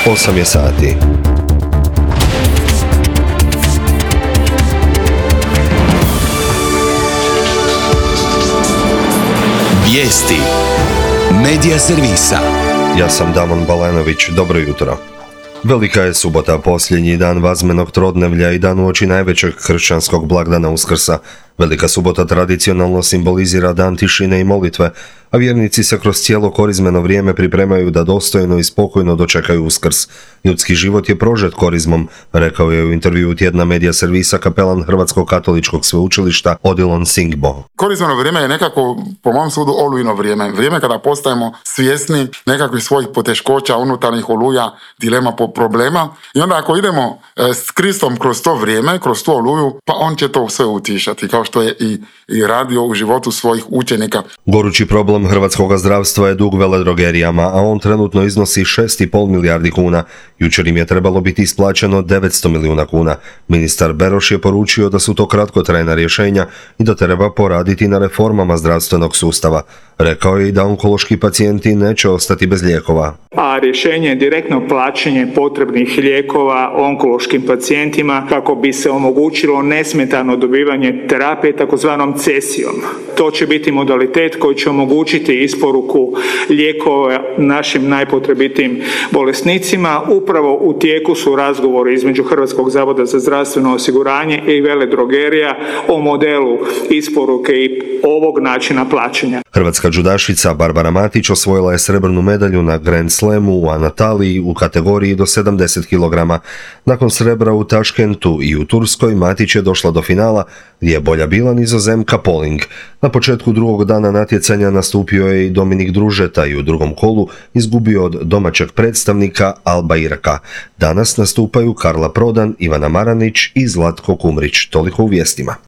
8 je sati. Vijesti Medija servisa. Ja sam Damon Balanović, dobro jutro. Velika je subota, posljednji dan vazmenog trodnevlja i dan uoči najvećeg kršćanskog blagdana Uskrsa. Velika subota tradicionalno simbolizira dan tišine i molitve, a vjernici se kroz cijelo korizmeno vrijeme pripremaju da dostojno i spokojno dočekaju Uskrs. Ljudski život je prožet korizmom, rekao je u intervjuu tjedna Medija servisa kapelan Hrvatskog katoličkog sveučilišta Odilon Singbo. Korizmeno vrijeme je nekako, po mom sudu, olujno vrijeme. Vrijeme kada postajemo svjesni nekakvih svojih poteškoća, unutarnjih oluja, dilema, problema. I onda ako idemo s Kristom kroz to vrijeme, kroz tu oluju, pa on će to sve utišati, kao što je i radio u životu svojih učenika. Gorući problem hrvatskog zdravstva je dug veledrogerijama, a on trenutno iznosi 6,5 milijardi kuna. Jučer im je trebalo biti isplaćeno 900 milijuna kuna. Ministar Beroš je poručio da su to kratkotrajna rješenja i da treba poraditi na reformama zdravstvenog sustava. Rekao je i da onkološki pacijenti neće ostati bez lijekova. A rješenje je direktno plaćanje potrebnih lijekova onkološkim pacijentima kako bi se omogućilo nesmetano dobivanje terapije takozvanom cesijom. To će biti modalitet koji će omogućiti isporuku lijekova našim najpotrebitijim bolesnicima. Upravo u tijeku su razgovori između Hrvatskog zavoda za zdravstveno osiguranje i veledrogerija o modelu isporuke i ovog načina plaćanja. Hrvatska džudašica Barbara Matić osvojila je srebrnu medalju na Grand Slamu u Anataliji u kategoriji do 70 kg. Nakon srebra u Taškentu i u Turskoj, Matić je došla do finala gdje je bolja bila Nizozemka Poling. Na početku drugog dana natjecanja nastupio je i Dominik Družeta i u drugom kolu izgubio od domaćeg predstavnika Alba Iraka. Danas nastupaju Karla Prodan, Ivana Maranić i Zlatko Kumrić. Toliko u vijestima.